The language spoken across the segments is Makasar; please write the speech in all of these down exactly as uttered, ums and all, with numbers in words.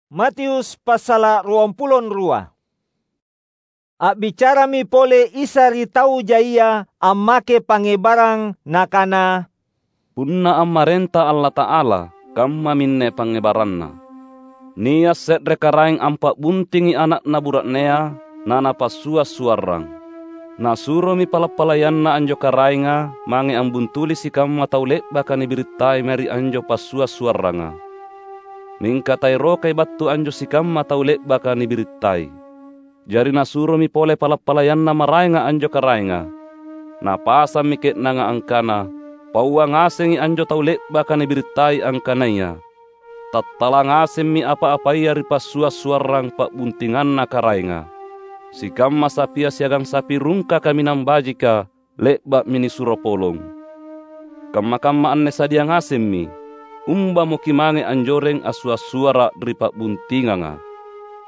Matius passala' ruampulo rua. A'bicarami pole Isa ri tau jaia ammake pangngebarang, Nakana, "Punna ammarenta Allata'ala, kammaminne pangngebaranNa. Nia' se're karaeng ampa'buntingi ana'na bura'nea, na napassua'-suarrang. Nasuromi pala'-palayanna anjo karaenga mange ambuntuli sikamma tau le'baka nibirittai mae ri anjo passua'-suarranga. Mingka taerokai battu anjo sikamma tau le'baka nibirittai. Jari nasuromi pole pala'-palayanna maraenga anjo karaenga. Napasammi ke'nanga angkana, 'Paua ngasengi anjo tau le'baka nibirittai angkanaya tattala ngasemmi apa-apaya ri passua'-suarrang pa'buntinganna karaenga. Sikamma sapia siagang sapi rungka kaminang bajika le'ba'mi nisuro polong. Kamma-kamma anne sadia ngasemmi, umbamo kimange anjoreng assua'-suara' ri pa'buntinganga.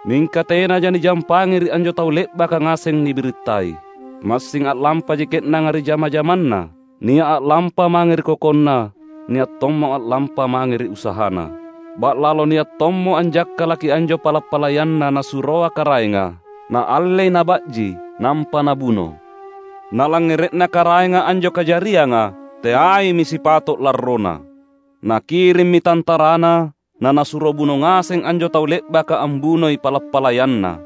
Mingka tenaja nijampangi ri anjo tau le'baka ngaseng nibirittai. Massing a'lampaji ke'nanga ri jama-jamanna, nia' a'lampa mange ri kokonna, nia' tommo a'lampa mange ri usahana. Ba'lalo nia' tommo anjakkalaki anjo pala'-palayanna nasuroa karaenga, naallei naba'ji, nampa nabuno. Nalangngere'na karaenga anjo kajarianga, teaimi sipato' larrona. Nakirimmi tantarana, nanasuro buno ngaseng anjo tau le'baka ambunoi pala'-palayanna.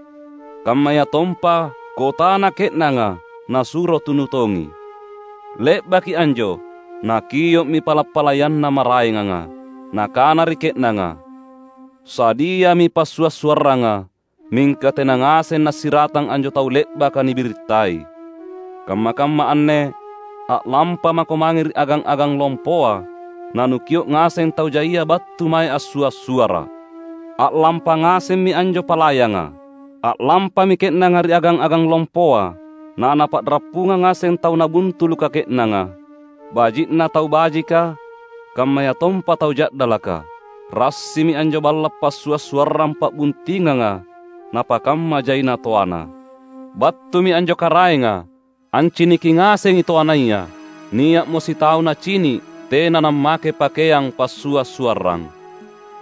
Kammayatompa kotana ke'nanga nasuro tunu tongi. Le'baki anjo, nakio'mi pala'-palayanna maraenganga, nakana ri ke'nanga, 'Sadiami passua'-suarranga, mingka tena ngaseng nassiratang anjo tau le'baka nibirittai. Kamma-kamma anne, a'lampa mako mange ri agang-agang lompoa, nanukio' ngaseng tau jaia battu mae assua'-suara'. A'lampa ngasemmi anjo palayanga. A'lampami ke'nanga ri agang-agang lompoa, nanapa'rappungang ngaseng tau nabuntuluka ke'nanga. Baji'na tau bajika, kammayatompa tau ja'dalaka. Rassimi anjo balla' passua'-suarrang pa'buntinganga, napakamma jaina toana. Battumi anjo karaenga, anciniki ngasengi toanaya. Nia'mo sitau nacini' tena nammake pakeang passua'-suarrang.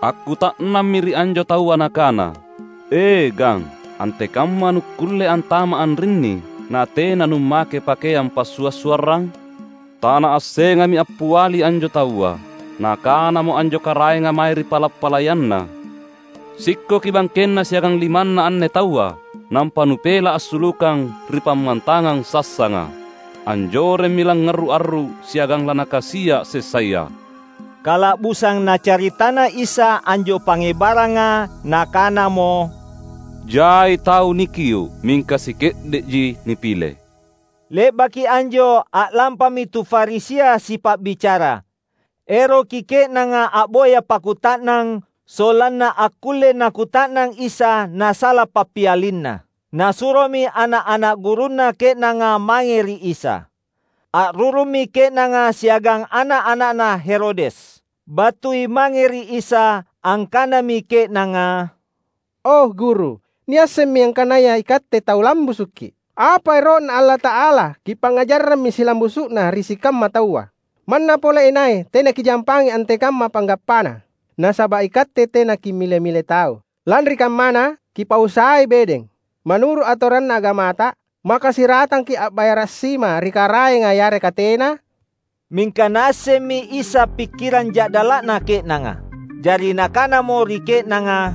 Akkuta'nammi ri anjo taua nakana, 'E, gang, antekamma nukkulle antama' anrinni natena nummake pakeang passua'-suarrang?' Tanaassengammi appiali anjo taua. Nakanamo anjo karaenga mae ri pala'-palayanna, 'Sikkoki bangkenna siagang limanna anne taua, nampa nupela' assulukang ri pammantangang sassanga. Anjoremmi langngarru'-arru' siagang lanakasia' sessaya.'" Kala'busang Nacaritana Isa anjo pangngebaranga, Nakanamo, "Jai tau nikio', mingka sike'de'ji nipile." Le'baki anjo a'lampami tu Farisia sipa'bicara. Eroki ke'nanga a'boya pakkuta'nang, sollanna akkulle nakuta'nang Isa nasala pappialinna. Nasuromi ana'-ana' gurunna ke'nanga mange ri Isa. A'rurummi ke'nanga siagang ana'-ana'na Herodes. Battui mange ri Isa, angkanami ke'nanga, "O Guru, niassemmi angkanaya iKatte tau lambusukKi'. Apa ero'Na Allata'ala Kipangngajarrammi silambusu'na ri sikamma taua. Manna pole inai tena Kijampangi antekamma panggappana, nasaba' iKatte tena Kimile-mile tau. Lanri kammana, Kipausai bedeng. Manuru' atoranna agamata, maka siratangki' a'bayara' sima ri Karaenga yareka tena?" Mingka Naassemmi Isa pikkirang ja'dala'na ke'nanga. Jari Nakanamo ri ke'nanga,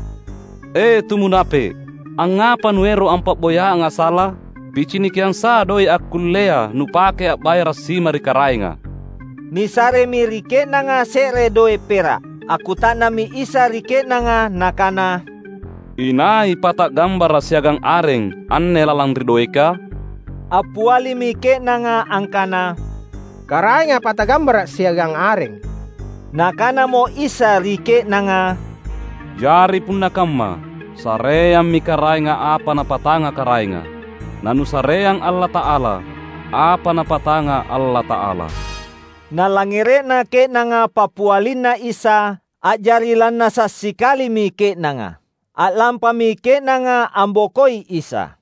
"E, tu munape'! Angngapa nuero' ampa'boyanga sala? Picinikiang sa doe' akkullea nupake a'bayara' sima ri Karaenga." Nisaremi ri ke'nanga se're doe' pera'. Akkuta'nammi Isa ri ke'nanga Nakana, "Inai pata'gambara' siagang areng anne lalang ri doeka?" Appialimi ke'nanga angkana, "Karaenga pata'gambara' siagang areng." Nakanamo Isa ri ke'nanga, "Jari punna kamma, sareammi Karaenga apa Napatanga Karaenga, nanusareang Allata'ala apa Napatanga Allata'ala." Nalangngere'na ke'nanga pappialinNa Isa, a'jari lannasa' sikalimi ke'nanga. A'lampami ke'nanga ambokoi Isa.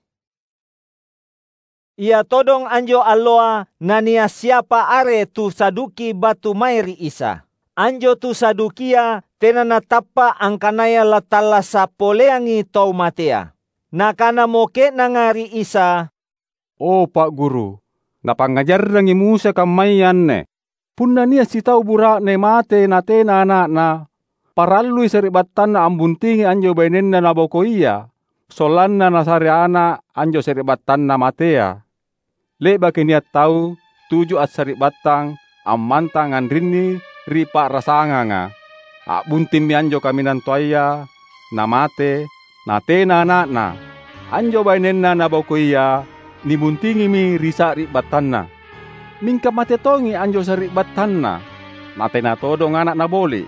Ia todong anjo alloa nania' siapa are tu Saduki battu mae ri Isa. Anjo tu Sadukia tena natappa’ angkanaya lattallasa’ poleangi tau matea. Nakanamo ke'nanga ri Isa, "O Pa’ Guru, napangngajarrangi Musa kammaya anne: Punna nia’ sitau bura'ne mate natena ana'na, parallui sari'battanna ambuntingi anjo bainenna nabokoia, sollanna nasare ana’ anjo sari'battanna matea. Le'baki nia’ tau tuju assari'battang ammantang anrinni ri pa'rasanganga. A'buntimmi anjo kaminang toaya namate, natena ana'na. Anjo bainenna nabokoia nibuntingimi ri sari'battanna. Mingka mate tongi anjo sari'battanna, natena todong ana’ naboli’.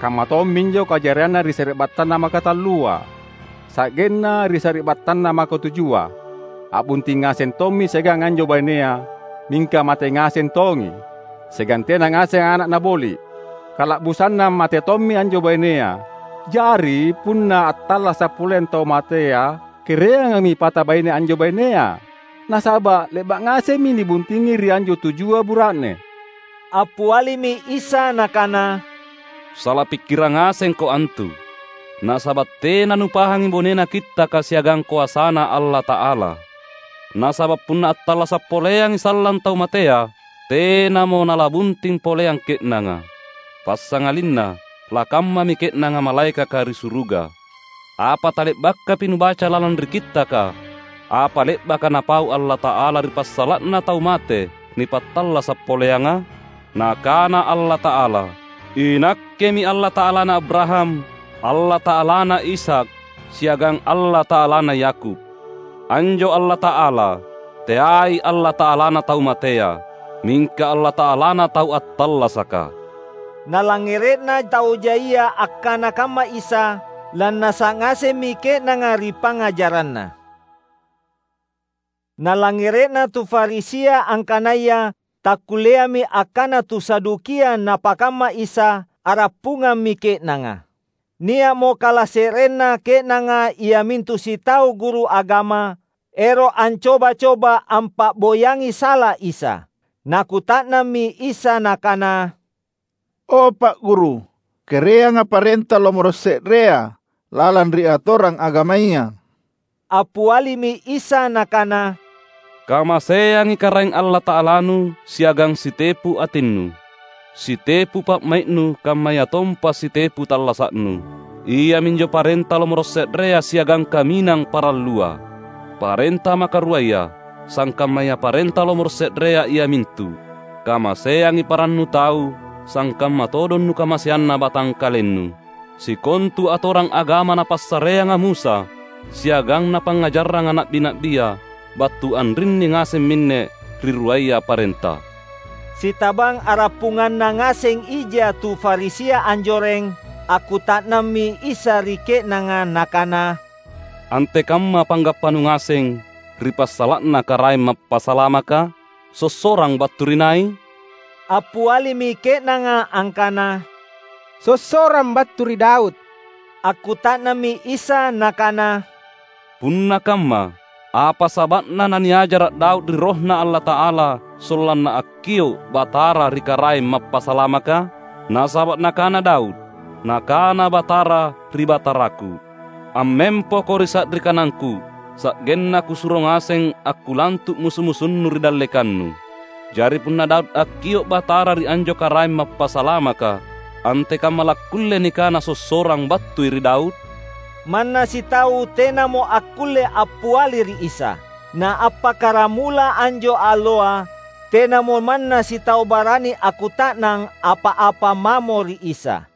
Kamma tomminjo kajarianna ri sari'battanna makatallua. Sa'genna ri sari'battanna makatujua, a'bunting ngaseng tommi siagang anjo bainea, mingka mate ngaseng tongi, siagang tena ngaseng ana’ naboli’. Kala'busanna mate tommi anjo bainea. Jari, punna attallasa’ poleang tau matea, kereangami pata baine anjo bainea, nasaba’ le'ba’ ngasemmi nibuntingi ri anjo tujua bura'ne." Appialimi Isa Nakana, "Sala pikkirang ngasengko antu, nasaba’ tena nupahangi bonena Kittaka siagang koasaNa Allata'ala. Nasaba’ punna attallasa’ poleangi sallang tau matea, tenamo nalabunting poleang ke'nanga. Passangalinna lakammami ke'nanga malaekaka ri suruga. Apa tale'bakapi nubaca lalang ri Kittaka, apa le'baka Napau Allata'ala ri passala'na tau mate nipattallasa’ poleanga? Nakana Allata'ala, 'INakkemi Allata'alana Abraham, Allata'alana Ishak, siagang Allata'alana Yakub.' Anjo Allata'ala, teai Allata'alana tau matea, mingka Allata'alana tau attallasaka." Nalangngere'na tau jaia akkana kamma Isa, lannasa’ ngasemmi ke'nanga ri pangngajaranNa. Nalangngere'na tu Farisia angkanaya takkulleami akkana tu Sadukia napakamma Isa, a'rappungammi ke'nanga. Nia'mo kalase'renna ke'nanga iamintu sitau guru agama, ero’ ancoba-coba ampa'boyangi sala Isa. Nakuta'nammi Isa Nakana, "O Pa’ Guru, kereanga parenta lomoro’ se'rea lalang ri atorang agamaya." Appialimi Isa Nakana, "Kamaseangi Karaeng Allata'alanu siagang sitepu atinnu, sitepu pa'mai'nu kammayatompa sitepu tallasa'nu. Iaminjo parenta lomoro’ se'rea siagang kaminang parallua. Parenta makaruaya, sangkammaya parenta lomoro’ se'rea iamintu: Kamaseangi parannu tau, sangkamma todong nukamaseanna batangkalennu. Sikontu atorang agama napassareanga Musa, siagang napangngajarranga na'bi-na'bia, battu anrinni ngaseng minne ri ruaya parenta." Sitabang a'rappunganna ngaseng ija tu Farisia anjoreng, akkuta'nammi Isa ri ke'nanga Nakana, "Antekamma panggappanu ngaseng ri passala'na Karaeng Mappasalamaka? Sossorang battu ri nai?" Appialimi ke'nanga angkana, "Sossorang battu ri Daud." Akkuta'nammi Isa Nakana, "Punna kamma, apa saba'na naniajara’ Daud ri RohNa Allata'ala sollanna akkio’ Batara ri Karaeng Mappasalamaka? Nasaba’ nakana Daud, Nakana Batara ri Bataraku, 'Ammempoko ri sa'ri kanangKu, sa'genna Kusuro ngaseng akkulantu’ musu-musunnu ri dallekannu.' Jari punna Daud akkio’ Batara ri anjo Karaeng Mappasalamaka, antekamma lakkulle nikana sossorang battui ri Daud?" Manna sitau tenamo akkulle appiali ri Isa. Na appakkaramula anjo alloa, tenamo manna sitau barani akkuta'nang apa-apa mamo ri Isa.